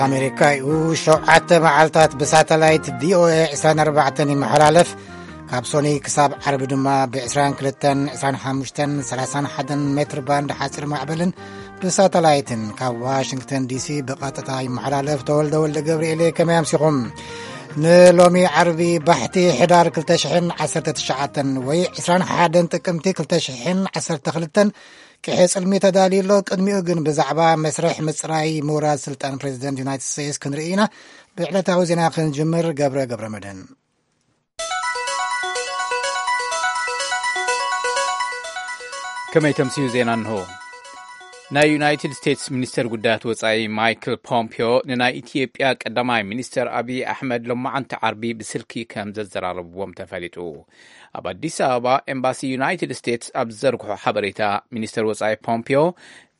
ኣሜሪካ እዩ። ሸውዓተ መዓልታት ብሳተላይት ቪኦኤ ዕስራን ኣርባዕተን ይመሓላለፍ። ካብ ሶኒ ክሳብ ዓርቢ ድማ ብ22፣ 25፣ 31 ሜትር ባንድ ሓፂር ማዕበልን ብሳተላይትን ካብ ዋሽንግተን ዲሲ ብቐጥታ ይመሓላለፍ። ተወልደ ወልደ ገብርኤል፣ ከመይ ኣምሲኹም? ንሎሚ ዓርቢ ባሕቲ ሕዳር ክልተ ሽሕን ዓሰርተ ትሽዓተን ወይ ዕስራን ሓደን ጥቅምቲ ክልተ ሽሕን ዓሰርተ ክልተን ቅሔ ጽልሚ ተዳልዩ ኣሎ። ቅድሚኡ ግን ብዛዕባ መስርሕ ምጽራይ ምውራድ ስልጣን ፕሬዚደንት ዩናይትድ ስቴትስ ክንርኢ ኢና። ብዕለታዊ ዜና ክንጅምር፣ ገብረ ገብረ መድህን። ከመይ ተምስዩ ዜና እንሆ። ናይ ዩናይትድ ስቴትስ ሚኒስተር ጉዳያት ወጻኢ ማይክል ፖምፒዮ ንናይ ኢትዮጵያ ቀዳማይ ሚኒስተር ኣብይ ኣሕመድ ሎማዓንቲ ዓርቢ ብስልኪ ከም ዘዘራረብዎም ተፈሊጡ። ኣብ ኣዲስ ኣበባ ኤምባሲ ዩናይትድ ስቴትስ ኣብ ዝዘርግሖ ሓበሬታ፣ ሚኒስተር ወጻኢ ፖምፒዮ፣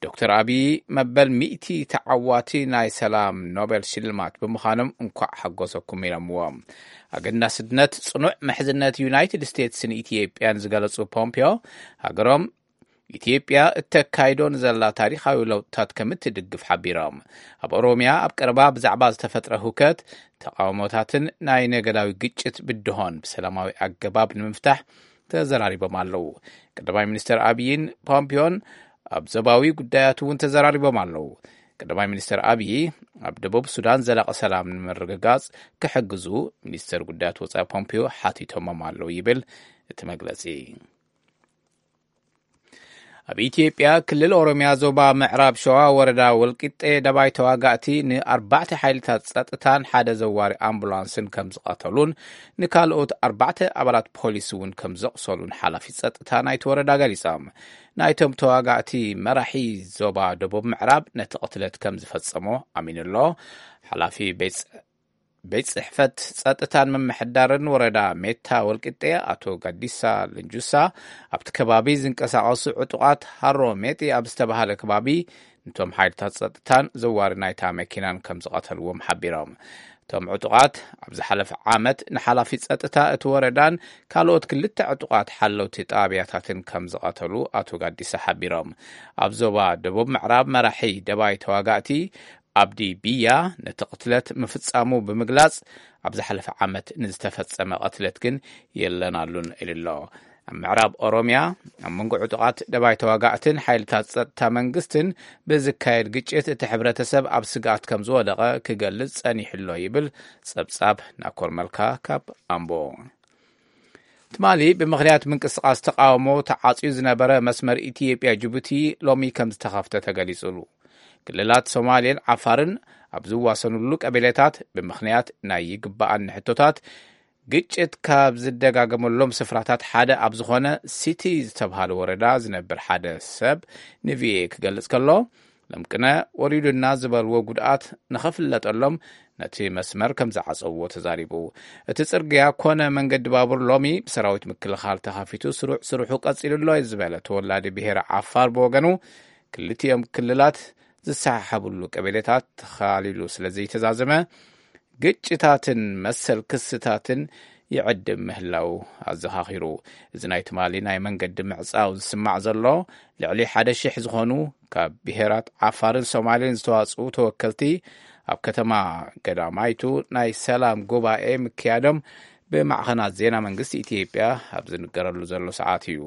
ዶክተር ኣብይ መበል ሚእቲ ተዓዋቲ ናይ ሰላም ኖቤል ሽልማት ብምዃኖም እንኳዕ ሓጎሰኩም ኢሎምዎም። ኣገዳስነት ጽኑዕ ምሕዝነት ዩናይትድ ስቴትስን ኢትዮጵያን ዝገለጹ ፖምፒዮ፣ ሃገሮም ኢትዮጵያ እተካይዶ ንዘላ ታሪኻዊ ለውጥታት ከም እትድግፍ ሓቢሮም። ኣብ ኦሮምያ ኣብ ቀረባ ብዛዕባ ዝተፈጥረ ሁከት፣ ተቃውሞታትን ናይ ነገዳዊ ግጭት ብድሆን ብሰላማዊ ኣገባብ ንምፍታሕ ተዘራሪቦም ኣለዉ። ቀዳማይ ሚኒስተር ኣብይን ፖምፒዮን ኣብ ዞባዊ ጉዳያት እውን ተዘራሪቦም ኣለዉ። ቀዳማይ ሚኒስተር ኣብይ ኣብ ደቡብ ሱዳን ዘላቂ ሰላም ንምርግጋጽ ክሕግዙ ሚኒስተር ጉዳያት ወጻኢ ፖምፒዮ ሓቲቶሞም ኣለዉ ይብል እቲ መግለጺ። ኣብ ኢትዮጵያ ክልል ኦሮምያ ዞባ ምዕራብ ሸዋ ወረዳ ወልቂጤ ደባይ ተዋጋእቲ ንኣርባዕተ ሓይልታት ጸጥታን ሓደ ዘዋሪ ኣምቡላንስን ከም ዝቐተሉን ንካልኦት ኣርባዕተ ኣባላት ፖሊስ እውን ከም ዘቑሰሉን ሓላፊ ጸጥታ ናይቲ ወረዳ ገሊጾም። ናይቶም ተዋጋእቲ መራሒ ዞባ ደቡብ ምዕራብ ነቲ ቅትለት ከም ዝፈጸሞ ኣሚኑ ኣሎ። ሓላፊ ቤት ቤት ጽሕፈት ጸጥታን ምምሕዳርን ወረዳ ሜታ ወልቂጤ ኣቶ ጋዲሳ ልንጁሳ፣ ኣብቲ ከባቢ ዝንቀሳቐሱ ዕጡቓት ሃሮ ሜጢ ኣብ ዝተባህለ ከባቢ፣ ነቶም ሓይልታት ጸጥታን ዘዋሪ ናይታ መኪናን ከም ዝቐተልዎም ሓቢሮም። እቶም ዕጡቓት ኣብ ዝሓለፈ ዓመት ንሓላፊ ጸጥታ እቲ ወረዳን ካልኦት ክልተ ዕጡቓት ሓለውቲ ጣብያታትን ከም ዝቐተሉ ኣቶ ጋዲሳ ሓቢሮም። ኣብ ዞባ ደቡብ ምዕራብ መራሒ ደባይ ተዋጋእቲ ኣብዲ ብያ ነቲ ቅትለት ምፍጻሙ ብምግላጽ፣ ኣብ ዝሓለፈ ዓመት ንዝተፈጸመ ቅትለት ግን የለናሉን ኢሉ ኣሎ። ኣብ ምዕራብ ኦሮምያ፣ ኣብ መንጎ ዕጡቓት ደባይ ተዋጋእትን ሓይልታት ጸጥታ መንግስትን ብዝካየድ ግጭት፣ እቲ ሕብረተሰብ ኣብ ስግኣት ከም ዝወደቐ ክገልጽ ጸኒሑ ኣሎ ይብል ጸብጻብ ናኮር መልካ ካብ ኣምቦ። ትማሊ ብምኽንያት ምንቅስቓስ ተቓውሞ ተዓጽዩ ዝነበረ መስመር ኢትዮጵያ ጅቡቲ ሎሚ ከም ዝተኸፍተ ተገሊጹሉ። ክልላት ሶማሌን ዓፋርን ኣብ ዝዋሰኑሉ ቀቢለታት፣ ብምኽንያት ናይ ይግባኣኒ ሕቶታት፣ ግጭት ካብ ዝደጋገመሎም ስፍራታት ሓደ ኣብ ዝኾነ ሲቲ ዝተብሃለ ወረዳ ዝነብር ሓደ ሰብ ንቪኦኤ ክገልጽ ከሎ፣ ለምቅነ ወሪዱና ዝበልዎ ጉድኣት ንኸፍለጠሎም ነቲ መስመር ከም ዝዓጸውዎ ተዛሪቡ። እቲ ጽርግያ ኮነ መንገዲ ባቡር ሎሚ ብሰራዊት ምክልኻል ተኸፊቱ ስሩዕ ስርሑ ቀጺሉ ኣሎ እዩ ዝበለ ተወላዲ ብሄረ ዓፋር ብወገኑ፣ ክልቲኦም ክልላት ዝሰሓሓብሉ ቀበሌታት ተኻሊሉ ስለ ዘይተዛዘመ፣ ግጭታትን መሰል ክስታትን ይዕድም ምህላው ኣዘኻኺሩ። እዚ ናይ ትማሊ ናይ መንገዲ ምዕጻው ዝስማዕ ዘሎ፣ ልዕሊ ሓደ ሽሕ ዝኾኑ ካብ ብሄራት ዓፋርን ሶማሌን ዝተዋጽኡ ተወከልቲ ኣብ ከተማ ገዳማይቱ ናይ ሰላም ጉባኤ ምክያዶም ብማዕኸናት ዜና መንግስቲ ኢትዮጵያ ኣብ ዝንገረሉ ዘሎ ሰዓት እዩ።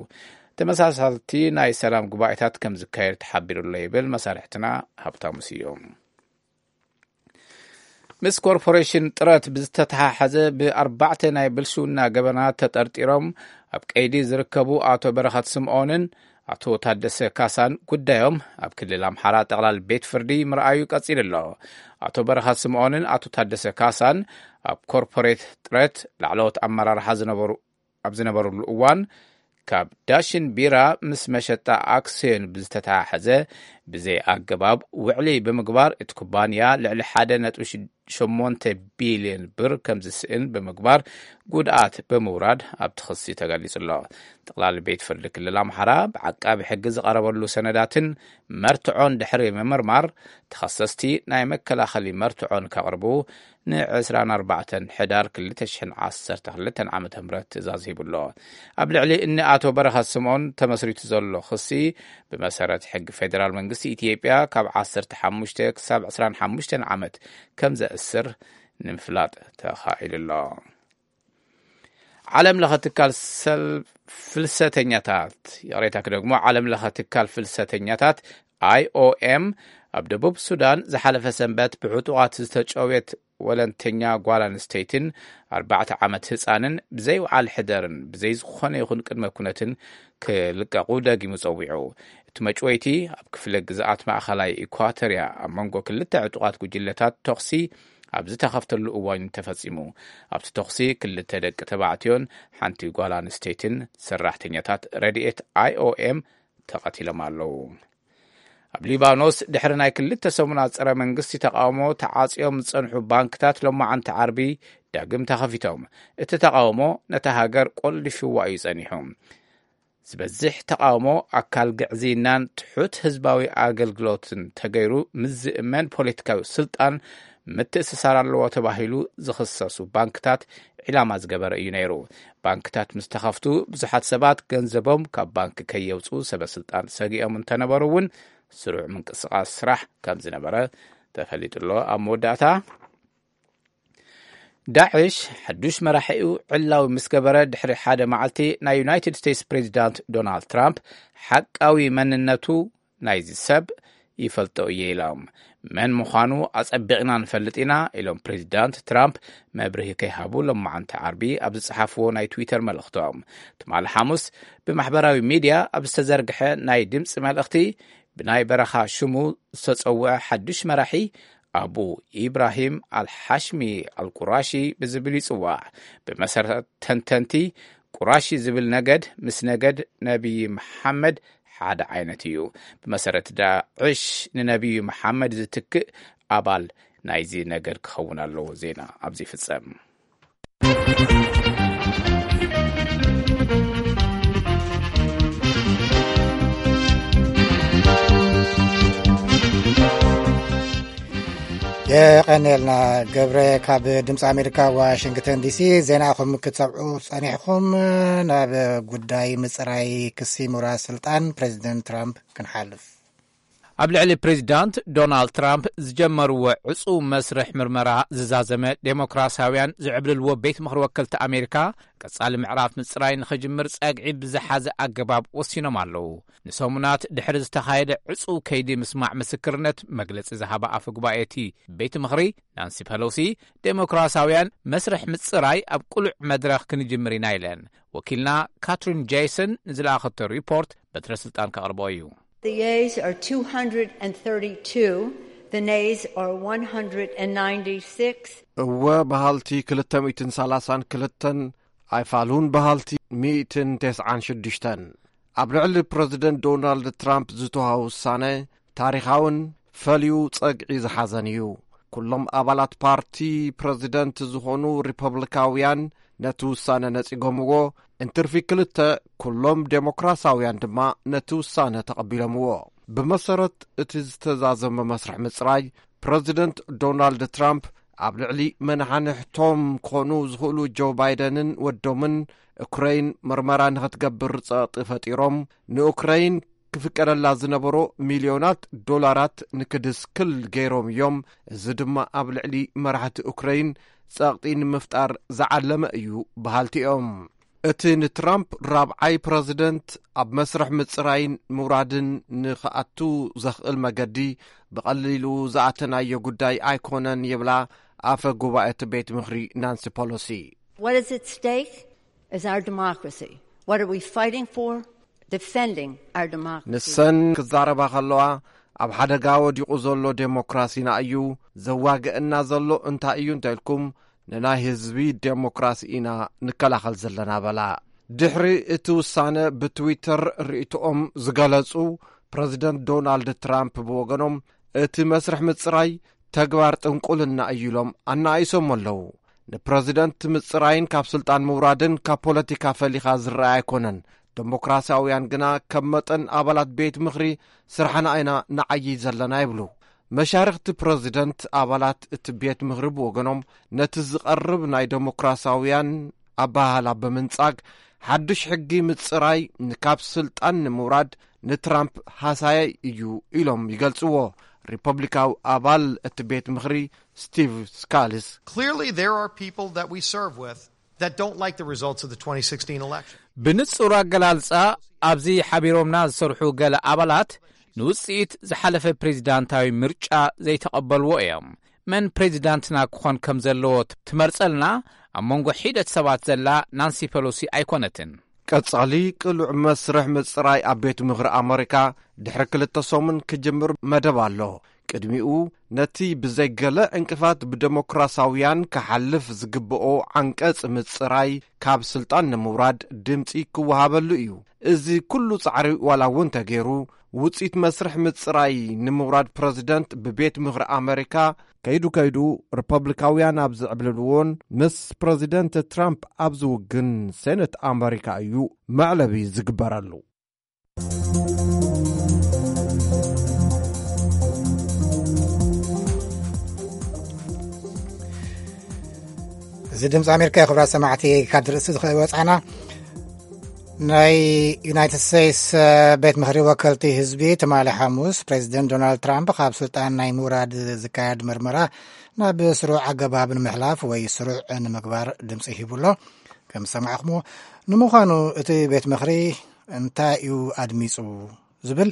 ተመሳሳልቲ ናይ ሰላም ጉባኤታት ከም ዝካየድ ተሓቢሩ ኣሎ ይብል መሳርሕትና ሃብታሙ ስዩም። ምስ ኮርፖሬሽን ጥረት ብዝተተሓሓዘ ብኣርባዕተ ናይ ብልሽውና ገበናት ተጠርጢሮም ኣብ ቀይዲ ዝርከቡ ኣቶ በረኸት ስምኦንን ኣቶ ታደሰ ካሳን ጉዳዮም ኣብ ክልል ኣምሓራ ጠቕላል ቤት ፍርዲ ምርኣዩ ቀጺሉ ኣሎ። ኣቶ በረኸት ስምኦንን ኣቶ ታደሰ ካሳን ኣብ ኮርፖሬት ጥረት ላዕለዎት ኣመራርሓ ዝነበሩ ኣብ ዝነበሩሉ እዋን፣ ካብ ዳሽን ቢራ ምስ መሸጣ ኣክስዮን ብዝተተሓሓዘ ብዘይ ኣገባብ ውዕሊ ብምግባር፣ እቲ ኩባንያ ልዕሊ ሓደ ነጥቢ ሽዱሽተ ሸሞንተ ቢልዮን ብር ከም ዝስእን ብምግባር፣ ጉድኣት ብምውራድ ኣብቲ ክሲ ተገሊጹ ኣሎ። ጠቕላሊ ቤት ፍርዲ ክልል ኣምሓራ ብዓቃቢ ሕጊ ዝቐረበሉ ሰነዳትን መርትዖን ድሕሪ ምምርማር፣ ተኸሰስቲ ናይ መከላኸሊ መርትዖን ከቕርቡ ን ዕስራን ኣርባዕተን ሕዳር ክልተ ሽሕን ዓሰርተ ክልተን ዓመተ ምህረት ትእዛዝ ሂቡ ኣሎ። ኣብ ልዕሊ እኒ ኣቶ በረኸት ስምኦን ተመስሪቱ ዘሎ ክሲ፣ ብመሰረት ሕጊ ፌደራል መንግስቲ ኢትዮጵያ፣ ካብ ዓሰርተ ሓሙሽተ ክሳብ ዕስራን ሓሙሽተን ዓመት ከም ዘእስር ንምፍላጥ ተኻኢሉ ኣሎ። ዓለም ለኸ ትካል ሰል-፣ ፍልሰተኛታት፣ ይቕሬታ ክደግሞ፣ ዓለም ለኸ ትካል ፍልሰተኛታት፣ ኣይ ኦ ኤም፣ ኣብ ደቡብ ሱዳን ዝሓለፈ ሰንበት ብዕጡቓት ዝተጨውየት ወለንተኛ ጓል ኣንስተይትን ኣርባዕተ ዓመት ህጻንን ብዘይውዓል ሕደርን ብዘይ ዝኾነ ይኹን ቅድመ ኩነትን ክልቀቑ ደጊሙ ጸዊዑ። እቲ መጭወይቲ ኣብ ክፍለ ግዝኣት ማእኸላይ ኢኳቶርያ ኣብ መንጎ ክልተ ዕጡቓት ጉጅለታት ተኹሲ ኣብ ዝተኸፍተሉ እዋን ተፈጺሙ። ኣብቲ ተኹሲ ክልተ ደቂ ተባዕትዮን ሓንቲ ጓል ኣንስተይትን ሰራሕተኛታት ረድኤት ኣይ ኦ ኤም ተቐቲሎም ኣለዉ። ኣብ ሊባኖስ ድሕሪ ናይ ክልተ ሰሙናት ጸረ መንግስቲ ተቃውሞ ተዓጽዮም ዝጸንሑ ባንክታት ሎማዓንቲ ዓርቢ ዳግም ተኸፊቶም። እቲ ተቃውሞ ነታ ሃገር ቆሊፍዋ እዩ ጸኒሑ። ዝበዝሕ ተቃውሞ ኣካል ግዕዝይናን ትሑት ህዝባዊ ኣገልግሎትን ተገይሩ ምስ ዝእመን ፖለቲካዊ ስልጣን ምትእስሳር ኣለዎ ተባሂሉ ዝኽሰሱ ባንክታት ዒላማ ዝገበረ እዩ ነይሩ። ባንክታት ምስ ተኸፍቱ ብዙሓት ሰባት ገንዘቦም ካብ ባንክ ከየውፅኡ ሰበ ስልጣን ሰጊኦም እንተነበሩ እውን ስሩዕ ምንቅስቃስ ስራሕ ከም ዝነበረ ተፈሊጡ ኣሎ። ኣብ መወዳእታ ዳዕሽ ሓዱሽ መራሒኡ ዕላዊ ምስ ገበረ ድሕሪ ሓደ መዓልቲ ናይ ዩናይትድ ስቴትስ ፕሬዚዳንት ዶናልድ ትራምፕ ሓቃዊ መንነቱ ናይዚ ሰብ ይፈልጦ እየ ኢሎም። መን ምዃኑ ኣጸቢቕና ንፈልጥ ኢና ኢሎም ፕሬዚዳንት ትራምፕ መብርሂ ከይሃቡ ሎማዓንቲ ዓርቢ ኣብ ዝጸሓፍዎ ናይ ትዊተር መልእኽቶም። ትማሊ ሓሙስ ብማሕበራዊ ሚድያ ኣብ ዝተዘርግሐ ናይ ድምፂ መልእኽቲ ብናይ በረኻ ሽሙ ዝተጸውዐ ሓዱሽ መራሒ ኣቡ ኢብራሂም ኣልሓሽሚ ኣልቁራሺ ብዝብል ይጽዋዕ። ብመሰረት ተንተንቲ ቁራሺ ዝብል ነገድ ምስ ነገድ ነቢይ መሓመድ ሓደ ዓይነት እዩ። ብመሰረት ዳዕሽ ንነቢዩ መሓመድ ዝትክእ ኣባል ናይዚ ነገድ ክኸውን ኣለዎ። ዜና ኣብዚ ይፍጸም። የቐንየልና ገብረ። ካብ ድምፂ ኣሜሪካ ዋሽንግተን ዲሲ ዜና ኢኹም ክትሰምዑ ጸኒሕኹም። ናብ ጉዳይ ምፅራይ ክሲ ምውራድ ስልጣን ፕሬዚደንት ትራምፕ ክንሓልፍ። ኣብ ልዕሊ ፕሬዚዳንት ዶናልድ ትራምፕ ዝጀመርዎ ዕፁ መስርሕ ምርመራ ዝዛዘመ ዴሞክራሲያውያን ዝዕብልልዎ ቤት ምኽሪ ወከልቲ ኣሜሪካ ቀጻሊ ምዕራፍ ምፅራይ ንኽጅምር ጸግዒ ብዝሓዘ ኣገባብ ወሲኖም ኣለዉ። ንሰሙናት ድሕሪ ዝተኻየደ ዕፁ ከይዲ ምስማዕ ምስክርነት መግለፂ ዝሃባ ኣፈ ጉባኤ እቲ ቤት ምኽሪ ናንሲ ፐሎሲ፣ ዴሞክራሲያውያን መስርሕ ምፅራይ ኣብ ቅሉዕ መድረኽ ክንጅምር ኢና ኢለን። ወኪልና ካትሪን ጄይሰን ንዝለኣኸቶ ሪፖርት በትረ ስልጣን ከቕርቦ እዩ። The yeas are two hundred thirty-two, the nays are one hundred ninety-six. እወ በሃልቲ ክልተ ሚእትን ሰላሳን ክልተን፣ ኣይፋሉን በሃልቲ ሚእትን ተስዓን ሽዱሽተን። ኣብ ልዕሊ ፕረዚደንት ዶናልድ ትራምፕ ዝተዋሃበ ውሳነ ታሪኻውን ፈልዩ ጸግዒ ዝሓዘን እዩ። ኩሎም ኣባላት ፓርቲ ፕረዚደንት ዝኾኑ ሪፐብሊካውያን ነቲ ውሳነ ነጺጎምዎ፣ እንትርፊ ክልተ፣ ኩሎም ዴሞክራሲያውያን ድማ ነቲ ውሳነ ተቐቢሎምዎ። ብመሰረት እቲ ዝተዛዘመ መስርሕ ምጽራይ፣ ፕረዚደንት ዶናልድ ትራምፕ ኣብ ልዕሊ መናሓንሕቶም ክኾኑ ዝኽእሉ ጆ ባይደንን ወዶምን፣ ኡክረይን ምርመራ ንኽትገብር ጸቕጢ ፈጢሮም፣ ንኡክረይን ክፍቀደላ ዝነበሮ ሚልዮናት ዶላራት ንክድስክል ገይሮም እዮም። እዚ ድማ ኣብ ልዕሊ መራሕቲ ኡክረይን ጸቕጢ ንምፍጣር ዝዓለመ እዩ በሃልቲ እዮም። እቲ ንትራምፕ ራብዓይ ፕረዚደንት ኣብ መስርሕ ምጽራይን ምውራድን ንኽኣቱ ዘኽእል መገዲ ብቐሊሉ ዝኣተናዮ ጉዳይ ኣይኮነን ይብላ ኣፈ ጉባኤ እቲ ቤት ምኽሪ ናንሲ ፖሎሲ። What is at stake is our democracy. What are we fighting for? Defending our democracy. ንሰን ክዛረባ ከለዋ፣ ኣብ ሓደጋ ወዲቑ ዘሎ ዴሞክራሲና እዩ። ዘዋግአና ዘሎ እንታይ እዩ እንተኢልኩም፣ ንናይ ህዝቢ ዴሞክራሲ ኢና ንከላኸል ዘለና በላ። ድሕሪ እቲ ውሳነ ብትዊተር ርእይቶኦም ዝገለጹ ፕረዚደንት ዶናልድ ትራምፕ ብወገኖም፣ እቲ መስርሕ ምጽራይ ተግባር ጥንቁልና እዩ ኢሎም ኣናኣይሶም ኣለዉ። ንፕረዚደንት ምጽራይን ካብ ስልጣን ምውራድን ካብ ፖለቲካ ፈሊኻ ዝረኣይ ኣይኮነን። ዴሞክራሲያውያን ግና ከም መጠን ኣባላት ቤት ምኽሪ ስራሕና ኢና ንዓዪ ዘለና ይብሉ። መሻርኽቲ ፕረዚደንት ኣባላት እቲ ቤት ምኽሪ ብወገኖም ነቲ ዝቐርብ ናይ ዴሞክራሲያውያን ኣበሃህላ ብምንጻግ ሓድሽ ሕጊ ምጽራይ ንካብ ስልጣን ንምውራድ ንትራምፕ ሃሳያይ እዩ ኢሎም ይገልጽዎ። ሪፐብሊካዊ ኣባል እቲ ቤት ምኽሪ ስቲቭ ስካሊስ Clearly, there are people that we serve with that don't like the results of the twenty sixteen election. ብንጹር ኣገላልጻ ኣብዚ ሓቢሮምና ዝሰርሑ ገለ ኣባላት ንውጽኢት ዝሓለፈ ፕሬዚዳንታዊ ምርጫ ዘይተቐበልዎ እዮም። መን ፕሬዚዳንትና ክኾን ከም ዘለዎ ትመርጸልና ኣብ መንጎ ሒደት ሰባት ዘላ ናንሲ ፐሎሲ ኣይኮነትን። ቀጻሊ ቅሉዕ መስርሕ ምጽራይ ኣብ ቤት ምኽሪ ኣመሪካ ድሕሪ ክልተ ሰሙን ክጅምር መደብ ኣሎ። ቅድሚኡ ነቲ ብዘይገለ ዕንቅፋት ብደሞክራሲያውያን ክሓልፍ ዝግብኦ ዓንቀጽ ምጽራይ ካብ ስልጣን ንምውራድ ድምጺ ክወሃበሉ እዩ። እዚ ኩሉ ጻዕሪ ዋላ እውን ተገይሩ ውጽኢት መስርሕ ምጽራይ ንምውራድ ፕረዚደንት ብቤት ምኽሪ ኣመሪካ ከይዱ ከይዱ ሪፐብሊካውያን ኣብ ዝዕብልልዎን ምስ ፕረዚደንት ትራምፕ ኣብ ዝውግን ሴነት ኣመሪካ እዩ መዕለቢ ዝግበረሉ። እዚ ድምፂ ኣሜሪካ እዩ። ክብራት ሰማዕቲ፣ ካብ ርእሲ ዝኸ ወፃና ናይ ዩናይትድ ስቴትስ ቤት ምኽሪ ወከልቲ ህዝቢ ትማሊ ሓሙስ ፕሬዚደንት ዶናልድ ትራምፕ ካብ ስልጣን ናይ ምውራድ ዝካየድ ምርመራ ናብ ስሩዕ ኣገባብ ንምሕላፍ ወይ ስሩዕ ንምግባር ድምፂ ሂቡ ኣሎ። ከም ዝሰማዕኹምዎ፣ ንምዃኑ እቲ ቤት ምኽሪ እንታይ እዩ ኣድሚፁ ዝብል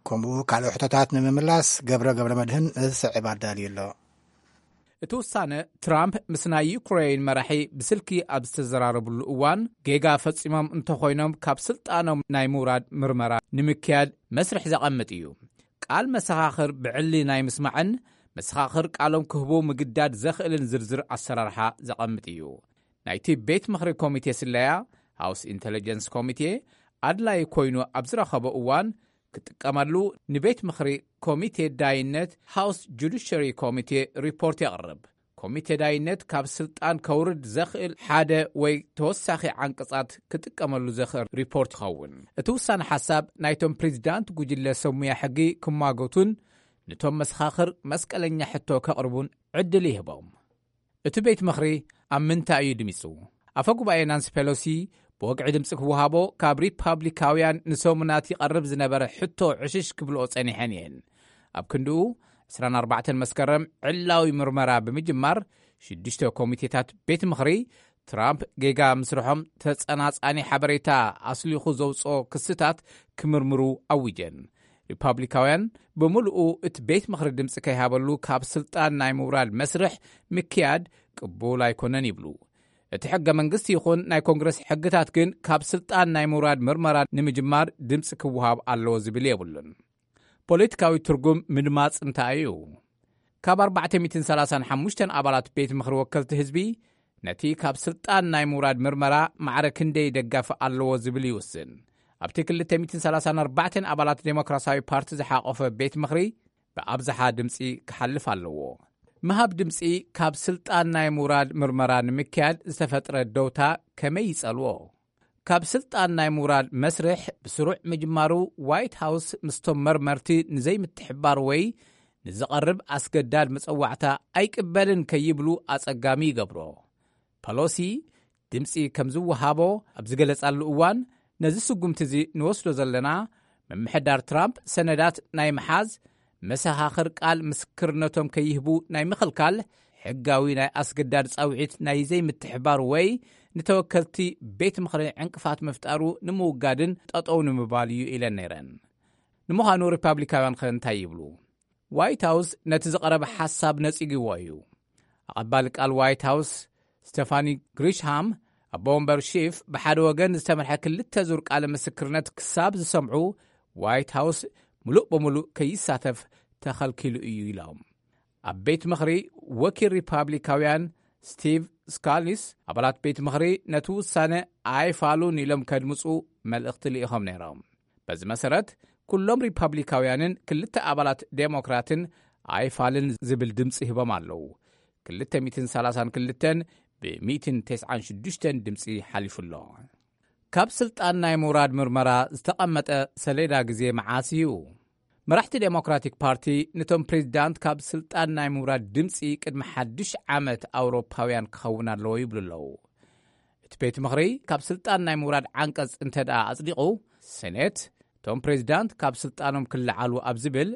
ከምኡ ካልኦ ሕቶታት ንምምላስ ገብረ ገብረ መድህን ዝስዕብ ኣዳልዩ ኣሎ። እቲ ውሳነ ትራምፕ ምስ ናይ ዩክሬን መራሒ ብስልኪ ኣብ ዝተዘራረብሉ እዋን ጌጋ ፈጺሞም እንተኾይኖም ካብ ስልጣኖም ናይ ምውራድ ምርመራ ንምክያድ መስርሕ ዘቐምጥ እዩ። ቃል መሰኻኽር ብዕሊ ናይ ምስማዕን መሰኻኽር ቃሎም ክህቡ ምግዳድ ዘኽእልን ዝርዝር ኣሰራርሓ ዘቐምጥ እዩ። ናይቲ ቤት ምኽሪ ኮሚቴ ስለያ፣ ሃውስ ኢንተለጀንስ ኮሚቴ፣ ኣድላይ ኮይኑ ኣብ ዝረኸቦ እዋን ክጥቀመሉ ንቤት ምኽሪ ኮሚቴ ዳይነት ሃውስ ጁዲሸሪ ኮሚቴ ሪፖርት የቕርብ። ኮሚቴ ዳይነት ካብ ስልጣን ከውርድ ዘኽእል ሓደ ወይ ተወሳኺ ዓንቀጻት ክጥቀመሉ ዘኽእል ሪፖርት ይኸውን። እቲ ውሳነ ሓሳብ ናይቶም ፕሬዚዳንት ጉጅለ ሰሙያ ሕጊ ክማጎቱን ንቶም መሰኻኽር መስቀለኛ ሕቶ ከቕርቡን ዕድል ይህቦም። እቲ ቤት ምኽሪ ኣብ ምንታይ እዩ ድሚጹ? ኣፈ ጉባኤ ናንሲ ፔሎሲ ብወግዒ ድምፂ ክወሃቦ ካብ ሪፓብሊካውያን ንሰሙናት ይቐርብ ዝነበረ ሕቶ ዕሽሽ ክብልኦ ጸኒሐን እየን። ኣብ ክንድኡ ዕስራን ኣርባዕተን መስከረም ዕላዊ ምርመራ ብምጅማር ሽዱሽተ ኮሚቴታት ቤት ምኽሪ ትራምፕ ጌጋ ምስርሖም ተጸናጻኒ ሓበሬታ ኣስሊኹ ዘውፅኦ ክስታት ክምርምሩ ኣዊጀን። ሪፓብሊካውያን ብምልኡ እቲ ቤት ምኽሪ ድምፂ ከይሃበሉ ካብ ስልጣን ናይ ምውራድ መስርሕ ምክያድ ቅቡል ኣይኮነን ይብሉ። እቲ ሕገ መንግስቲ ይኹን ናይ ኮንግረስ ሕግታት ግን ካብ ስልጣን ናይ ምውራድ ምርመራ ንምጅማር ድምፂ ክወሃብ ኣለዎ ዝብል የብሉን። ፖለቲካዊ ትርጉም ምድማፅ እንታይ እዩ? ካብ ኣርባዕተ ሚእትን ሰላሳን ሓሙሽተን ኣባላት ቤት ምኽሪ ወከልቲ ህዝቢ ነቲ ካብ ስልጣን ናይ ምውራድ ምርመራ ማዕረ ክንደይ ደጋፊ ኣለዎ ዝብል ይውስን። ኣብቲ ክልተ ሚእትን ሰላሳን ኣርባዕተን ኣባላት ዴሞክራሲያዊ ፓርቲ ዝሓቆፈ ቤት ምኽሪ ብኣብዝሓ ድምፂ ክሓልፍ ኣለዎ። ምሃብ ድምፂ ካብ ስልጣን ናይ ምውራድ ምርመራ ንምክያድ ዝተፈጥረ ደውታ ከመይ ይጸልዎ? ካብ ስልጣን ናይ ምውራድ መስርሕ ብስሩዕ ምጅማሩ ዋይት ሃውስ ምስቶም መርመርቲ ንዘይምትሕባር ወይ ንዝቐርብ ኣስገዳድ መጸዋዕታ ኣይቅበልን ከይብሉ ኣጸጋሚ ይገብሮ። ፐሎሲ ድምፂ ከም ዝወሃቦ ኣብ ዝገለጻሉ እዋን ነዚ ስጉምቲ እዚ ንወስዶ ዘለና ምምሕዳር ትራምፕ ሰነዳት ናይ ምሓዝ መሰኻኽር ቃል ምስክርነቶም ከይህቡ ናይ ምኽልካል ሕጋዊ ናይ ኣስገዳድ ጻውዒት ናይ ዘይምትሕባር ወይ ንተወከልቲ ቤት ምኽሪ ዕንቅፋት ምፍጣሩ ንምውጋድን ጠጠው ንምባል እዩ ኢለን ነይረን። ንምዃኑ ሪፓብሊካውያን ከ እንታይ ይብሉ? ዋይት ሃውስ ነቲ ዝቐረበ ሓሳብ ነጺግዎ እዩ። ኣቐባሊ ቃል ዋይት ሃውስ ስቴፋኒ ግሪሽሃም ኣቦ ወንበር ሺፍ ብሓደ ወገን ዝተመርሐ ክልተ ዙር ቃለ ምስክርነት ክሳብ ዝሰምዑ ዋይት ሃውስ ምሉእ ብምሉእ ከይሳተፍ ተኸልኪሉ እዩ ኢሎም። ኣብ ቤት ምኽሪ ወኪል ሪፓብሊካውያን ስቲቭ ስካሊስ ኣባላት ቤት ምኽሪ ነቲ ውሳነ ኣይፋሉን ኢሎም ከድምፁ መልእኽቲ ልኢኾም ነይሮም። በዚ መሰረት ኩሎም ሪፓብሊካውያንን ክልተ ኣባላት ዴሞክራትን ኣይፋልን ዝብል ድምፂ ሂቦም ኣለዉ። ክልተ ሚእትን ሰላሳን ክልተን ብ ሚእትን ተስዓን ሽዱሽተን ድምፂ ሓሊፉ ኣሎ። ካብ ስልጣን ናይ ምውራድ ምርመራ ዝተቐመጠ ሰሌዳ ግዜ መዓስ እዩ? መራሕቲ ዴሞክራቲክ ፓርቲ፣ ነቶም ፕሬዚዳንት ካብ ስልጣን ናይ ምውራድ ድምፂ ቅድሚ ሓድሽ ዓመት ኣውሮፓውያን ክኸውን ኣለዎ ይብሉ ኣለዉ። እቲ ቤት ምኽሪ ካብ ስልጣን ናይ ምውራድ ዓንቀጽ እንተ ደኣ ኣጽዲቑ፣ ሴኔት እቶም ፕሬዚዳንት ካብ ስልጣኖም ክለዓሉ ኣብ ዝብል፣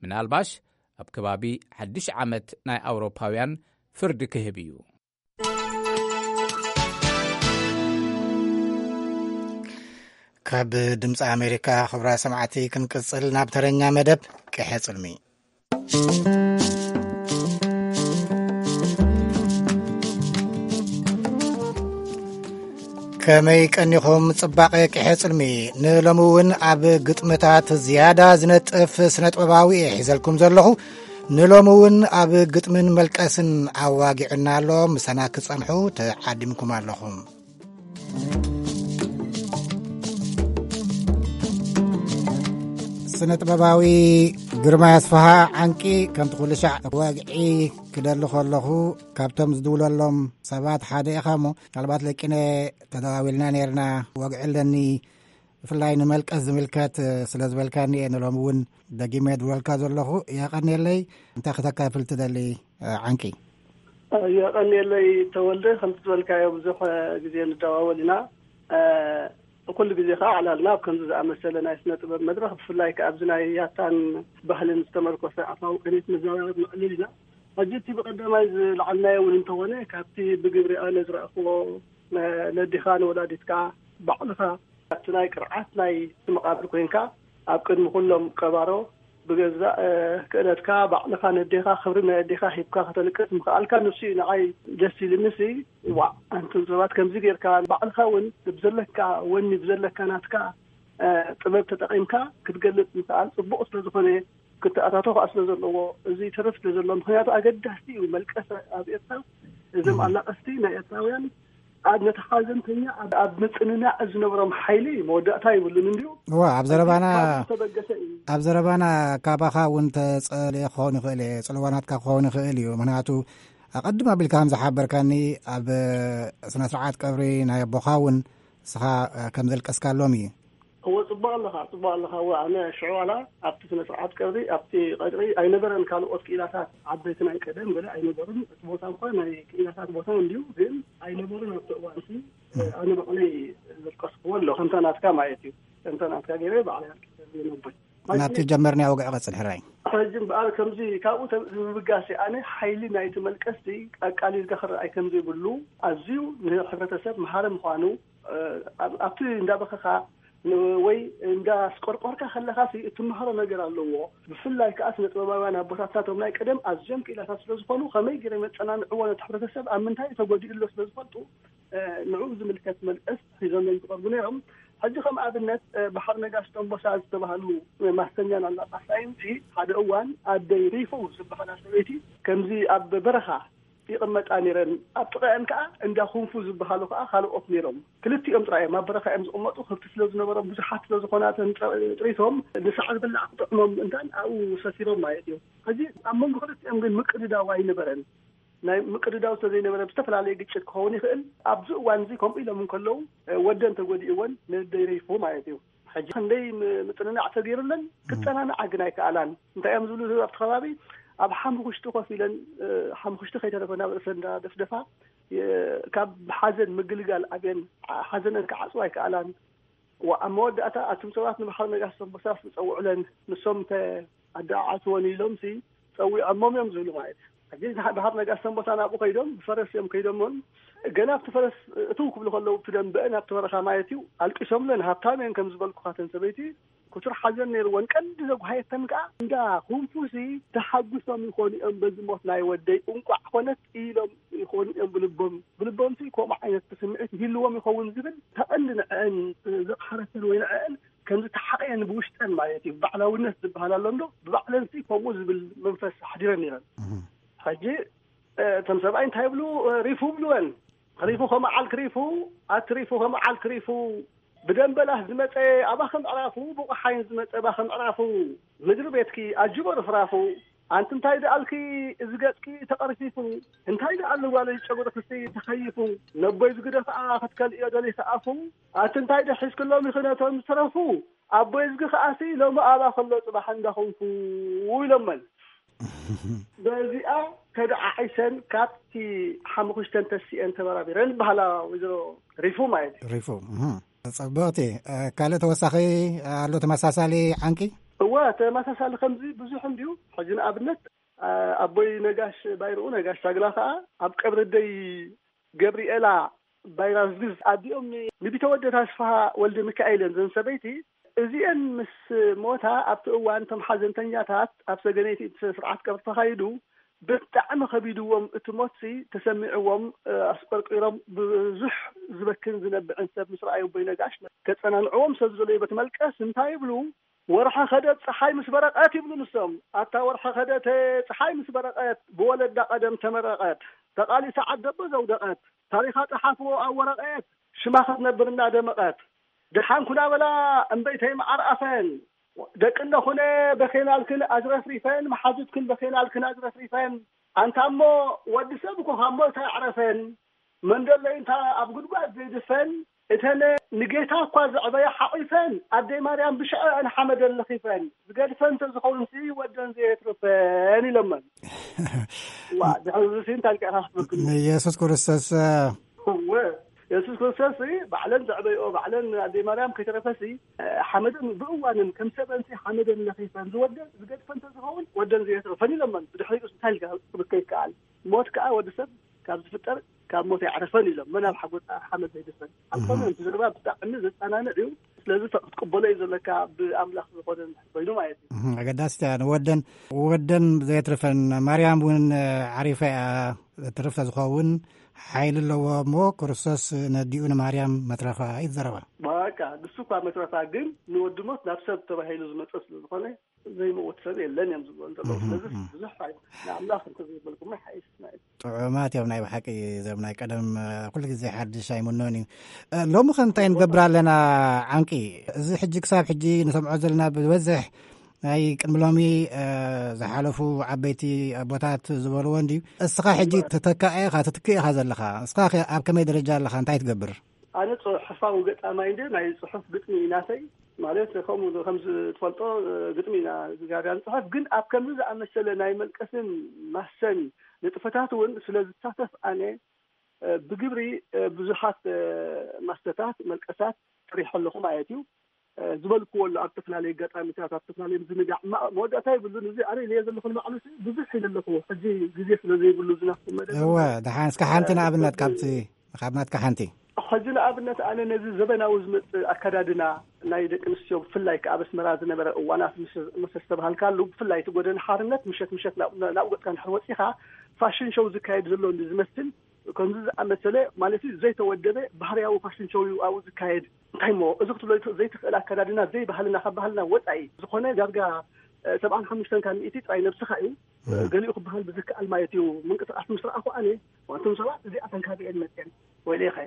ምናልባሽ ኣብ ከባቢ ሓድሽ ዓመት ናይ ኣውሮፓውያን ፍርዲ ክህብ እዩ። ካብ ድምፂ ኣሜሪካ፣ ክብራ ሰማዕቲ፣ ክንቅፅል ናብ ተረኛ መደብ ቅሐ ፅልሚ። ከመይ ቀኒኹም ጽባቐ ቅሐ ጽልሚ? ንሎሚ እውን ኣብ ግጥምታት ዝያዳ ዝነጥፍ ስነጥበባዊ እየ ሒዘልኩም ዘለኹ። ንሎሚ እውን ኣብ ግጥምን መልቀስን ኣዋጊዑና ኣሎ። ምሳና ክጸንሑ ተዓዲምኩም ኣለኹም። ስነ ጥበባዊ ግርማ ኣስፍሃ ዓንቂ፣ ከምቲ ኩሉ ሻዕ ወግዒ ክደሊ ከለኹ፣ ካብቶም ዝድውለሎም ሰባት ሓደ ኢኻ እሞ፣ ምናልባት ለቂነ ተደዋዊልና ነይርና፣ ወግዒ ኣለኒ፣ ብፍላይ ንመልቀስ ዝምልከት ስለ ዝበልካኒ እየ ንሎሚ እውን ደጊመ ድውለልካ ዘለኹ። የቐንየለይ። እንታይ ክተካፍል ትደሊ ዓንቂ? የቐንየለይ ተወልደ፣ ከምቲ ዝበልካዮ ብዙሕ ግዜ ንደዋወል ኢና። ኩሉ ግዜ ከዓ ዕላልና ኣብ ከምዚ ዝኣመሰለ ናይ ስነ ጥበብ መድረኽ፣ ብፍላይ ከዓ ኣብዚ ናይ ያታን ባህልን ዝተመርኮሰ ኣፋዊ ቅኒት መዘራረብ ንዕልል ኢና። ሕጂ እቲ ብቐዳማይ ዝለዓልናዮ እውን እንተኾነ፣ ካብቲ ብግብሪ ኣነ ዝረኣኽዎ፣ ነ-፣ ነዲኻ ንወላዲትካ ባዕልኻ ኣብቲ ናይ ቅርዓት ናይ እቲ መቓብር ኮይንካ ኣብ ቅድሚ ኩሎም ቀባሮ ብገዛእ፣ እ፣ ክእለትካ ባዕልኻ ነዴኻ ክብሪ ናይ ኣዴኻ ሂብካ ከተልቅስ ምኽኣልካ ንሱ እዩ ንዓይ ደስ ኢልኒ። ሲ ዋእ፣ ኣንቱም ሰባት ከምዚ ጌርካ ባዕልኻ እውን ብዘለካ ወኒ ብዘለካ ናትካ፣ እ፣ ጥበብ ተጠቒምካ ክትገልጽ ምኽኣል ጽቡቕ ስለ ዝኾነ፣ ክተኣታቶ ከኣ ስለ ዘለዎ፣ እዚ ይተርፍ ስለ ዘሎ፣ ምኽንያቱ ኣገዳሲ እዩ። መልቀስ ኣብ ኤርትራ፣ እዞም ኣላቐስቲ ናይ ኤርትራውያን ኣብ ነቲ ሓዘንተኛ ኣብ፣ ኣብ ምጽንናዕ ዝነብሮም ሓይሊ መወዳእታ ይብሉን እንድዩ። እዋ፣ ኣብ ዘረባና፣ ካብዚ ዝተበገሰ እዩ። ኣብ ዘረባና ካባኻ እውን ተጸልየ ክኸውን ይኽእል እየ፣ ጽልዋ ናትካ ክኸውን ይኽእል እዩ። ምኽንያቱ ኣቐድም ኣቢልካ ከም ዝሓበርካኒ፣ ኣብ ስነ ስርዓት ቀብሪ ናይ ኣቦኻ እውን ንስኻ ከም ዘልቀስካሎም እዩ። እወ፣ ጽቡቕ ኣለኻ፣ ጽቡቕ ኣለኻ። እወ፣ ኣነ ሽዑ ዋላ ኣብቲ ስነ ስርዓት ቀብሪ፣ ኣብቲ ቀብሪ ኣይነበረን። ካልኦት ክኢላታት ዓበይቲ ናይ ቀደም ገለ ኣይነበሩን። እቲ ቦታ እኳ ናይ ክኢላታት ቦታ እንድዩ፣ ግን ኣይነበሩን ኣብቲ እዋን እቲ። ኣነ ባዕለይ ዘልቀስክዎ ኣሎ፣ ከምታ ናትካ ማለት እዩ። ከምታ ናትካ ገይረ ባዕለይ ኣልቂሰ ነቦይ። ናብቲ ጀመርናዮ ወግዒ ቀጽል፣ ሕራይ። ሕጂ እምበኣር ከምዚ ካብኡ ተ-፣ ብምብጋስ ኣነ ሓይሊ ናይቲ መልቀስቲ ኣቃሊልካ ክረኣይ ከም ዘይብሉ፣ ኣዝዩ ንሕብረተሰብ መሃሪ ምዃኑ፣ እ፣ ኣብ-፣ ኣብቲ እንዳበኸኻ ን-፣ ወይ እንዳስቆርቆርካ ከለኻሲ እትመሃሮ ነገር ኣለዎ። ብፍላይ ከኣ ስነ ጥበባውያን ኣቦታትና እቶም ናይ ቀደም ኣዝዮም ክኢላታት ስለ ዝኾኑ፣ ከመይ ገይሮም የጸናንዕዎ ነቲ ሕብረተሰብ ኣብ ምንታይ ተጎዲኡ ኣሎ ስለ ዝፈልጡ፣ እ፣ ንዕኡ ዝምልከት መልቀስ ሒዞም እዮም ዝቐርቡ ነይሮም። ሕጂ ከም ኣብነት፣ እ፣ ባሕሪ ነጋሽ ጠንቦሳ ዝተባህሉ፣ እ፣ ማስተኛን ኣላቃሳይንሲ ሓደ እዋን ኣደይ ሪፉ ዝበሃላ ሰበይቲ ከምዚ ኣብ በረኻ ይቕመጣ ነይረን። ኣብ ጥቓኤን ከኣ እንዳ ኩንፉ ዝበሃሉ ከኣ ካልኦት ነይሮም። ክልቲኦም ጥራይ እዮም ኣብ በረኻ እዮም ዝቕመጡ። ከብቲ ስለ ዝነበሮም፣ ብዙሓት ስለ ዝኾና እተን ጥረ-፣ ጥሪቶም፣ ንሳዕ ዝበላዕ ክጥዕሞም እንታን ኣብኡ ሰፊሮም ማለት እዩ። ሕጂ ኣብ መንጎ ክልቲኦም ግን ምቅድዳው ኣይነበረን። ናይ ምቅድዳው ስለ ዘይነበረ ብዝተፈላለየ ግጭት ክኸውን ይኽእል። ኣብዚ እዋን እዚ ከምኡ ኢሎም እንከለዉ፣ እ፣ ወደን ተጎዲእወን ንደይ ሪፉ ማለት እዩ። ሕጂ ክንደይ ም-፣ ምጽንናዕ ተገይሩለን፣ ክጸናንዓ ግን ኣይከኣላን። እንታይ እዮም ዝብሉ ኣብቲ ከባቢ? ኣብ ሓሙኽሽቲ ኮፍ ኢለን፣ እ፣ ሓሙኽሽቲ ከይተረፈ ናብ ርእሰን እንዳደፍደፋ፣ የ-፣ ካብ ሓዘን ምግልጋል ኣብየን፣ ዓ-፣ ሓዘነን ክዓጽዋ ኣይከኣላን። ዋ-፣ ኣብ መወዳእታ ኣቱም ሰባት ንባሕሪ ነጋሽ ሰንቦሳስ ዝጸውዑለን፣ ንሶም እንተ ኣደዓዕትወን ኢሎምሲ ጸዊዖሞም እዮም ዝብሉ ማለት እዩ። ሕጂ ንሓ-፣ ባሕሪ ነጋሽ ሰንቦሳ ናብኡ ከይዶም፣ ብፈረስ እዮም ከይዶሞን፣ ገና ኣብቲ ፈረስ እትው ክብሉ ከለዉ፣ ኣብቲ ደንበአን ኣብቲ በረኻ ማለት እዩ፣ ኣልቂሶምለን፣ ሃብታም እየን ከም ዝበልኩኻ፣ እተን ሰበይቲ፣ ክቱር ሓዘን ነይርወን። ቀንዲ ዘጉሃየተን ከኣ እንዳ ኩንፉሲ ተሓጒሶም ይኾኑ እዮም በዚ ሞት ናይ ወደይ፣ እንቋዕ ኮነት ኢሎም ይኾኑ እዮም ብልቦም። ብልቦምሲ ከምኡ ዓይነት ስምዒት ይህልዎም ይኸውን ዝብል፣ ተቐንዲ ንዕአን ዘቕሓረተን ወይ ንዕአን ከም ዝተሓቐየን ብውሽጠን ማለት እዩ። ባዕላውነት ዝበሃል ኣሎ እንዶ፣ ብባዕለንሲ ከምኡ ዝብል መንፈስ ኣሕዲረን ነይረን። እህ። ሕጂ፣ እ፣ እቶም ሰብኣይ እንታይ ይብሉ? እ፣ ሪፉ ብልወን። ሪፉ ከመዓልክ ሪፉ፣ ኣቲ ሪፉ ከመዓልክ ሪፉ፣ ብደንበላህ ዝመጸ ኣባኺ ምዕራፉ፣ ብቑሓይን ዝመጸ ኣባኺ ምዕራፉ፣ ምድሪ ቤትኪ ኣጅቦ ርፍራፉ፣ ኣንቲ እንታይ ደኣልኪ፣ እዚ ገጽኪ ተቐርፊፉ፣ እንታይ ደኣሉ ጓለይ ጨጉርክሲ ተኸይፉ፣ ነቦይ ዝግደ ኸኣ ክትከልእዮ ደሊኺ ኣፉ፣ ኣንቲ እንታይ ዶ ሒዝክሎም ኢኺ ነቶም ዝተረፉ፣ ኣቦይ እዝጊ ኸኣሲ ሎሚ ኣባ ከሎ ጽባሕ እንዳኹንፉ ኢሎመን። በዚኣ ተደዓዒሰን ካብቲ ሓሙኽሽተን ተሲኤን ተበራቢረን በሃላ ወይዘሮ ሪፉ ማለት እዩ። ሪፉ፣ እህ። ጽብቕቲ። እ፣ ካልእ ተወሳኺ ኣሎ ተመሳሳሊ ዓንቂ? እወ፣ ተመሳሳሊ ከምዚ ብዙሕ እንድዩ። ሕጂ ንኣብነት፣ እ፣ ኣቦይ ነጋሽ ባይርኡ፣ ነጋሽ ሳግላ ከኣ ኣብ ቀብሪ ኣደይ ገብርኤላ ባይራ ዝግዝ ኣዲኦም ንቢተወደድ ኣስፍሃ ወልደ ሚካኤል እየን። ዘን ሰበይቲ እዚአን ምስ ሞታ ኣብቲ እዋን እቶም ሓዘንተኛታት ኣብ ሰገነይቲ እቲ ስርዓት ቀብሪ ተኻይዱ ብጣዕሚ ከቢድዎም፣ እቲ ሞትሲ ተሰሚዕዎም፣ እ፣ ኣስቆርቂሮም ብዙሕ ዝበክን ዝነብዕን ሰብ ምስ ረኣዩ ኣቦይ ነጋሽ ከጸናንዕዎም ሰብ ዝደለዩ ቤት መልቀስ እንታይ ይብሉ? "ወርሒ ከደት ፀሓይ ምስ በረቐት" ይብሉ ንሶም። ኣታ ወርሒ ከደት ፀሓይ ምስ በረቐት ብወለዳ ቀደም ተመረቐት፣ ተቓሊሳ ዓደቦ ዘውደቐት፣ ታሪኻ ጸሓፍዎ ኣብ ወረቐት ሽማ ክትነብር እናደመቐት። ደሓን ኩና በላ እምበይተይ መዓር ኣፈን፣ ደቂ እነኹነ በኼናልክን ኣዝረፍሪፈን፣ መሓዙትክን በኼናልክን ኣዝረፍሪፈን። ኣንታ እሞ ወዲ ሰብ እኮ ካብ ሞት ኣይዕረፈን። መንደለይ እንታ ኣብ ጉድጓድ ዘይድፈን፣ እተን ንጌታ እኳ ዘዕበያ ሓቒፈን፣ ኣደይ ማርያም ብሽዐአን ሓመደን ለኺፈን። ዝገድፈን እንተዝኸውንሲ ወደን ዘየትርፈን ኢሎመን። ዋ፣ ድሕሪ እዚ እንታይ ኢልካ ኢኻ ክትብክን? ንየሱስ ክርስቶስ፣ እ፣ እወ፣ የሱስ ክርስቶስ ሲ ባዕለን ዘዕበይኦ፣ ባዕለን ኣደይ ማርያም ከይተረፈሲ፣ እ፣ ሓመደን ብእዋንን ከም ሰበንሲ ሓመደን ለኺፈን ዝወደን ዝገድፈን እንተዝኸውን ወደን ዘየትርፈን ኢሎመን። ብድሕሪኡ እንታይ ኢልካ ክብከ ይከኣል? ሞት ከኣ ወዲ ሰብ ካብ ዝፍጠር ካብ ሞት ኣይዕረፈን ኢሎም። መን ኣብ ሓጎጣ ሓመድ ዘይድፈን። ኣብ እህ። ኮነ እቲ ዘረባ ብጣዕሚ ዘጸናንዕ እዩ። ስለዚ ፈ-፣ ክትቅበሎ እዩ ዘለካ ብኣምላኽ ዝኾነ እንድሕር ኮይኑ ማለት እዩ። እህ፣ ኣገዳሲት እያ። ንወደን፣ ወደን ዘየትርፈን ማርያም እውን ዓሪፋ እያ። ትርፍ ተዝኸውን ሓይሊ ኣለዎ እሞ ክርስቶስ ነዲኡ ንማርያም መትረፋ እዩ ዘረባ። በቃ ንሱ እኳ መትረፋ ግን ንወዲ ሞት ናብ ሰብ ተባሂሉ ዝመጸ ስለ ዝኾነ ዘይመውት ሰብ የለን እዮም ዝብሉ እንተለዉ። እህ፣ ስለዚ እህ። ብዙሕ ኣይ-፣ ንኣምላኽ እንተዘይበልኩሞ ይሓይሽ ማለት እዩ። ጥዑማት እዮም ናይ ብሓቂ እዞም ናይ ቀደም፣ እ፣ ኩሉ ግዜ ሓድሽ ኣይምኖን እዩ። እ፣ ሎሚ ከ እንታይ ንገብር ኣለና ዓንቂ? እዚ ሕጂ ክሳብ ሕጂ ንሰምዖ ዘለና ብዝበዝሕ ናይ ቅድሚ ሎሚ፣ እ፣ ዝሓለፉ ዓበይቲ ኣቦታት ዝበልዎ እንድዩ። እስኻ ሕጂ ተተካኢ ኢኻ፣ ትትክእ ኢኻ ዘለኻ። እስኻ ከ ኣብ ከመይ ደረጃ ኣለኻ? እንታይ ትገብር? ኣነ ጽሑፋዊ ገጣማይ እንደ ናይ ጽሑፍ ግጥሚ እዩ ናተይ። ማለት ከምኡ ከምዚ ትፈልጦ ግጥሚ ኢና ዝጋብያ ንጽሑፍ። ግን ኣብ ከምዚ ዝኣመሰለ ናይ መልቀስን ማሰን ንጥፈታት እውን ስለ ዝሳተፍ ኣነ፣ እ፣ ብግብሪ፣ እ፣ ብዙሓት፣ እ፣ ማስተታት፣ መልቀሳት ጥሪሐ ኣለኹ ማለት እዩ። እ፣ ዝበልክዎ ኣሎ ኣብ ዝተፈላለዩ ኣጋጣሚታት፣ ኣብ ዝተፈላለዩ ምዝንጋዕ፣ ማ-፣ መወዳእታ የብሉን። እዚ ኣነ ኢለዮ ዘለኹ ንባዕሉ ብዙሕ ኢለ ኣለኹ። ሕጂ ግዜ ስለ ዘይብሉ ዝናፍቁ መደብ እወ፣ ደሓን እስከ ሓንቲ እ፣ ንኣብነት ካብቲ ካብ ናትካ ሓንቲ። ሕጂ ንኣብነት ኣነ ነዚ ዘበናዊ ዝመጽእ ኣከዳድና ናይ ደቂ ኣንስትዮ ብፍላይ ከኣ ኣብ ኣስመራ ዝነበረ እዋናት ምስ፣ ምስ ዝተባሃልካሉ ብፍላይ እቲ ጎደና ሓርነት ምሸት ምሸት ናብ፣ ናብ ገጽካ እንድሕር ወጺኻ ፋሽን ሾው ዝካየድ ዘሎ እንዲ ዝመስል ከምዚ ዝኣመሰለ ማለት እዩ ዘይተወደበ ባህርያዊ ፋሽን ሾው እዩ ኣብኡ ዝካየድ። እንታይ እሞ እዚ ክትብሎ ዘይትኽእል ኣከዳድና ዘይባህልና ካብ ባህልና ወጻኢ ዝኾነ ዳርጋ፣ እ፣ ሰብዓን ሓሙሽተን ካብ ሚእቲ ጥራይ ነብስኻ እዩ። እህ። ገሊኡ ክበሃል ብዝከኣል ማለት እዩ። ምንቅስቃስ ምስ ረኣኹ ኣነ፣ "ዋንቱም ሰባት እዚኣተን ካበይ እየን መፅየን? ወይለኸ፣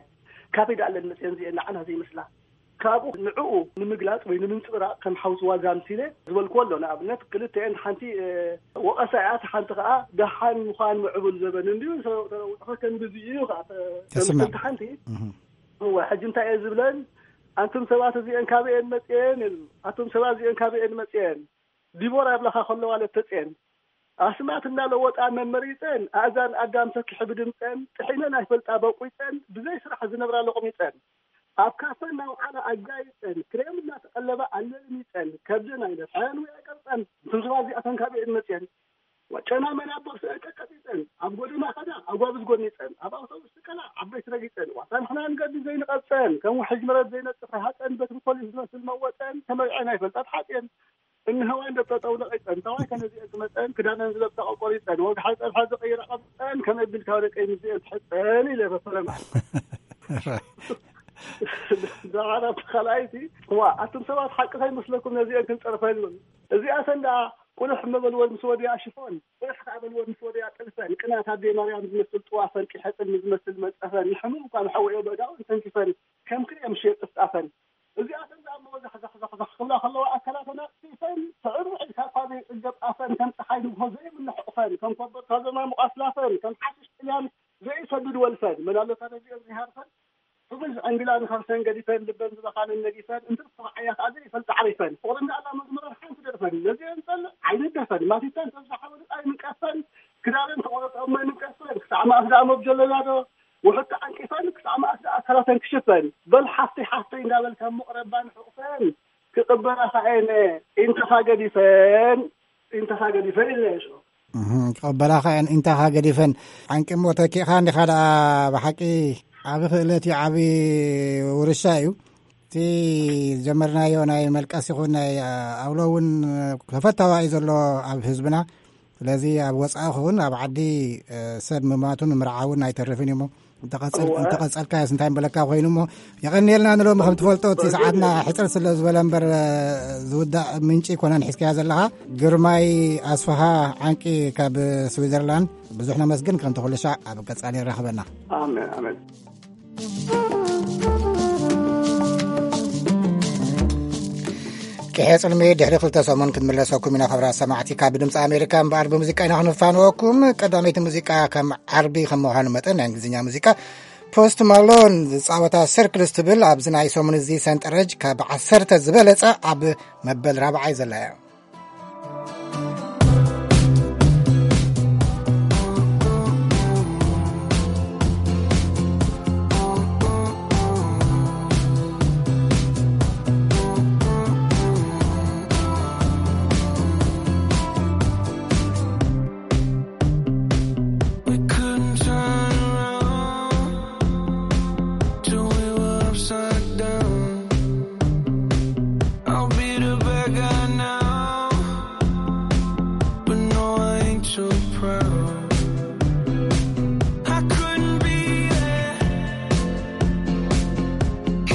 ካበይ ደኣ እለን መፅየን እዚአን ንዓና ዘይመስላ?" ካብኡ ንዕኡ ንምግላፅ ወይ ንምንፅብራቕ ከም ሓውሲ ዋዛ ኣምሲለ ዝበልክዎ ኣሎ። ንኣብነት ክልተአን ሓንቲ፣ እ፣ ወቐሳ እያ፣ እታ ሓንቲ ከዓ ደሓን ምዃን ምዕቡል ዘበን እንድዩ፣ ተለውጥኸ ከም ግዜ እዩ ከዓ ተ-፣ ተስምዕ። ተምስል ሓንቲ። እህ። እወ፣ ሕጂ እንታይ እየ ዝብለን? ኣንቱም ሰባት እዚአን ካበይ እየን መፅየን? ኣቱም ሰባት እዚአን ካበይ እየን መፅየን? ዲቦራ ይብላኻ ከለዋ ለተፅየን። ኣስማት እናለወጣ መመሪፀን፣ ኣእዛን ኣዳም ሰኪሑ ብድምፀን፣ ጥሒነን ኣይፈልጣ በቂፀን፣ ብዘይ ስራሕ ዝነብራ ለቑሚፀን፣ ኣብ ካፈ እናውዓላ ኣጋይፀን፣ ክሬም እናተቐለባ ኣለልሚፀን፣ ከብደን ኣይነፍሐን ወይ ኣይቀርፀን። እቶም ሰባት እዚኣተን ካበይ እየን መፅየን? ጨና መናቦ ስእን ቀጥቂጠን፣ ኣብ ጎደና ከዳ ኣጓብዝ ጎኒፀን፣ ኣብ ኣውቶቡስ ትቀላ ዓበይቲ ረጊፀን፣ ዋታ ንሕና ንገዲ ዘይንቐፀን፣ ከም ውሕጅ መረት ዘይነፅፍ ረሃፀን፣ በትሪ ፖሊስ ዝመስል መወፀን፣ ተመርዐን ኣይፈልጣ ተሓፅየን። እንህዋን ደብ ጠጠው ነቒፀን፣ ተዋይ ከነዚአን ዝመፀን፣ ክዳነን ዝለብሳ ቆቆሪፀን፣ ወግሓ ፀብሐ ዝቐይራ ቀብፀን፣ ከመይ ቢልካ ደቀይ ምስዚአን ትሕፀን ኢለ ፈፈረማ። ራይ። ደሓር ኣብቲ ካልኣይቲ፣ እዋ፣ ኣቱም ሰባት ሓቂ ከይመስለኩም ነዚአን ክንፀርፈን ይብሉ። እዚኣተን ደኣ ቁልሕ መበልወን ምስ ወዲያ ሽፎን፣ ቁልሕ ከኣ በልወን ምስ ወዲያ ጥልፈን፣ ቅናት ኣደይ ማርያም ዝመስል ጥዋፈን፣ ቂሐ ጽልሚ ዝመስል መንጸፈን፣ ንሕሙም እኳ ንሓወዮ በእዳውን ተንኪፈን፣ ከም ክሬም ሽየጥ ጥፍጣፈን። እዚኣተን ደኣ እሞ ዛሕዛሕዛሕዛሕ ክብላ ከለዋ ኣካላተን ኣጽፊፈን፣ ስዕር ውዕድ ካብ ኳዘይ ጽገብ ኣፈን፣ ከም ጸሓይ ንግሆ ዘይ ዘማሙ ኣስላፈን ከም ሓሽሽ ጥልያን ዘይሰግድ ወልፈን መላለታ ነዚኦም ዝሃርፈን፣ ሕጉስ ዕንግላ ንኸርሰን ገዲፈን፣ ልበን ዝበኻነን ነጊፈን፣ እንትርፍቕ ዓያ ከኣ ዘይፈልጥ ዓሪፈን፣ ፍቕሪ እንዳኣላ መዝሙረን ሓንቲ ደርፈን፣ ነዚአን ጸልእ ዓይኒ ደፈን፣ ማቲተን ተብዛሓ ወልቃ ይምንቀፈን፣ ክዳነን ተቖረጠ እሞ ይምንቀፈን፣ ክሳዕ መኣስ ደኣ መብጀለና ዶ ውሑድ ተዓንቂፈን፣ ክሳዕ መኣስ ደኣ ኣካላተን ክሽፈን፣ በል ሓፍተይ ሓፍተይ እንዳበልካ ምቕረባን ሕቑፈን፣ ክቕበላ ከኣ እየ ኢንተኻ ገዲፈን፣ ኢንተኻ ገዲፈን ኢለ እሾ። እህ፣ ክቕበላኻ እየን፣ ኢንተኻ ገዲፈን። ዓንቂ እሞ ተኪእኻ እንዲኻ ደኣ፣ ብሓቂ ዓቢ ክእለት እዩ፣ ዓቢ ውርሻ እዩ። እቲ ዝጀመርናዮ ናይ መልቀስ ይኹን ናይ ኣውሎ እውን ተፈታዋ እዩ ዘሎ ኣብ ህዝብና። ስለዚ ኣብ ወጻኢ ክውን ኣብ ዓዲ፣ እ፣ ሰብ ምማቱን ምርዓውን ኣይተርፍን እዩ እሞ፣ እንተቐጸል-፣ እወ። እንተቐጸልካዮስ እንታይ ምበለካ ኮይኑ እሞ፣ የቐንየልና ንሎሚ። ከም ትፈልጦ እቲ ሰዓትና ሕጽር ስለ ዝበለ እምበር፣ እ፣ ዝውዳእ ምንጪ ኣይኮነን ሒዝካዮ ዘለኻ። ግርማይ ኣስፍሃ ዓንቂ ካብ ስዊዘርላንድ፣ ብዙሕ ነመስግን። ከምቲ ኩሉ ሻዕ ኣብ ቀጻሊ የራኽበና። ኣሜን፣ ኣሜን። ቅሔ ጽልሚ ድሕሪ ክልተ ሰሙን ክንምለሰኩም ኢና። ክብራት ሰማዕቲ፣ ካብ ድምፂ ኣሜሪካ እምበኣር ብሙዚቃ ኢና ክንፋንወኩም። ቀዳመይቲ ሙዚቃ ከም ዓርቢ ከም ምዃኑ መጠን ናይ እንግሊዝኛ ሙዚቃ ፖስት ማሎን ዝፃወታ ሰርክልስ ትብል ኣብዚ ናይ ሰሙን እዚ ሰንጠረጅ ካብ ዓሰርተ ዝበለፀ ኣብ መበል ራብዓይ ዘላ እያ። We couldn't turn around till we were upside down. I'll be the bad guy now, but no, I ain't too proud. I couldn't be there,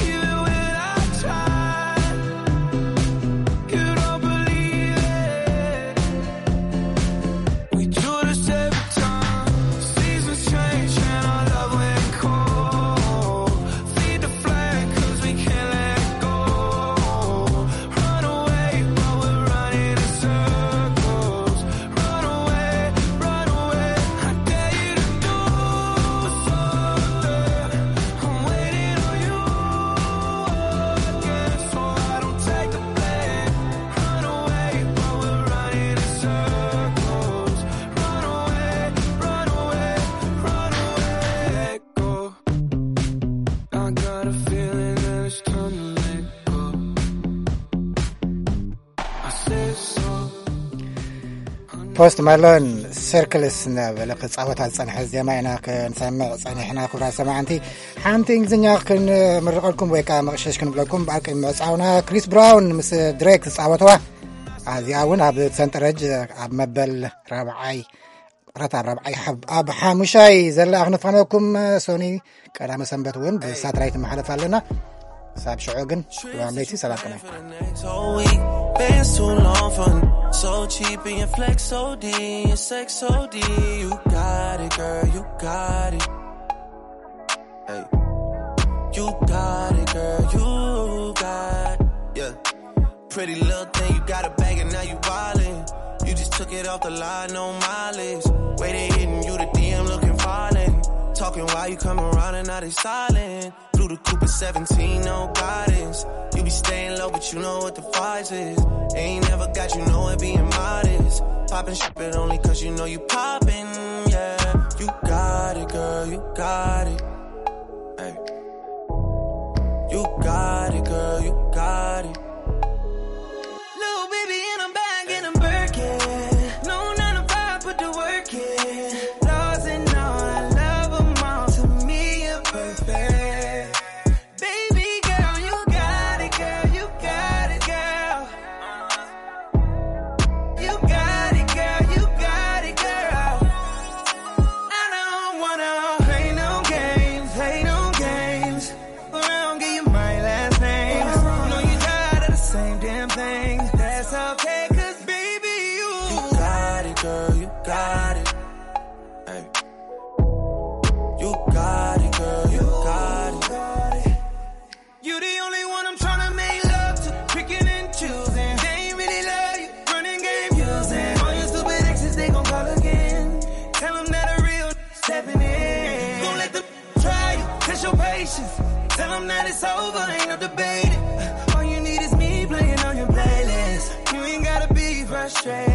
even when I tried. You don't believe it. We do this every time. Seasons change and our love went cold. Feed the flame 'cause we can't let go. Run away, but we're running in circles. Run away, run away. I dare you to do something. I'm waiting on you again, so I don't take the blame. Run away, but we're running in circles. Run away, run away, run away. Let go. I got a feeling that it's time to let go. I said so. ፖስት ማሎን ሰርክልስ እናበለ ክፃወታ ዝፀንሐ ዜማ ኢና ክንሰምዕ ፀኒሕና። ክቡራት ሰማዕንቲ፣ ሓንቲ እንግሊዝኛ ክንምርቐልኩም ወይ ከዓ መቕሸሽ ክንብለኩም። ብኣር ቅድሚ ምዕፃውና፣ ክሪስ ብራውን ምስ ድሬክ ዝፃወተዋ፣ ኣዚኣ እውን ኣብ ሰንጠረጅ ኣብ መበል ራብዓይ፣ ቅረት ኣብ ራብዓይ፣ ሓብ-፣ ኣብ ሓሙሻይ ዘላ ክነፋነወኩም። ሶኒ፣ ቀዳመ ሰንበት እውን ብሳትላይት መሓለፍ ኣለና። ሳብ ሽዑ ግን፣ ሰላም ለይቲ፣ ሰላም ቅነ። Next whole week, bands too long for me. So cheap and your flex O D, your sex O D. You got it, girl, you got it. Hey. You got it, girl, you got it. Yeah. Pretty little thing, you got a bag and now you wildin'. You just took it off the line, no mileage. Way they hitting you, the D M looking violent. Talking while you come around and now they silent. Blue the Cooper seventeen, no guidance. You be staying low, but you know what the price is. Ain't never got you nowhere being modest. Poppin' shit, but only 'cause you know you poppin', yeah. You got it, girl, you got it. Hey. You got it, girl, you got it. Little baby, and I'm back in a Birkin. No nine to five, put the work in. Flaws and all, I love 'em all. To me, you're perfect. Baby girl, you got it, girl, you got it, girl. You got it, girl, you got it, girl. I don't wanna play no games, play no games. Around, give you my last name. Know you got Tell them that it's over, ain't no debating. All you need is me playing on your playlist. You ain't gotta be frustrated.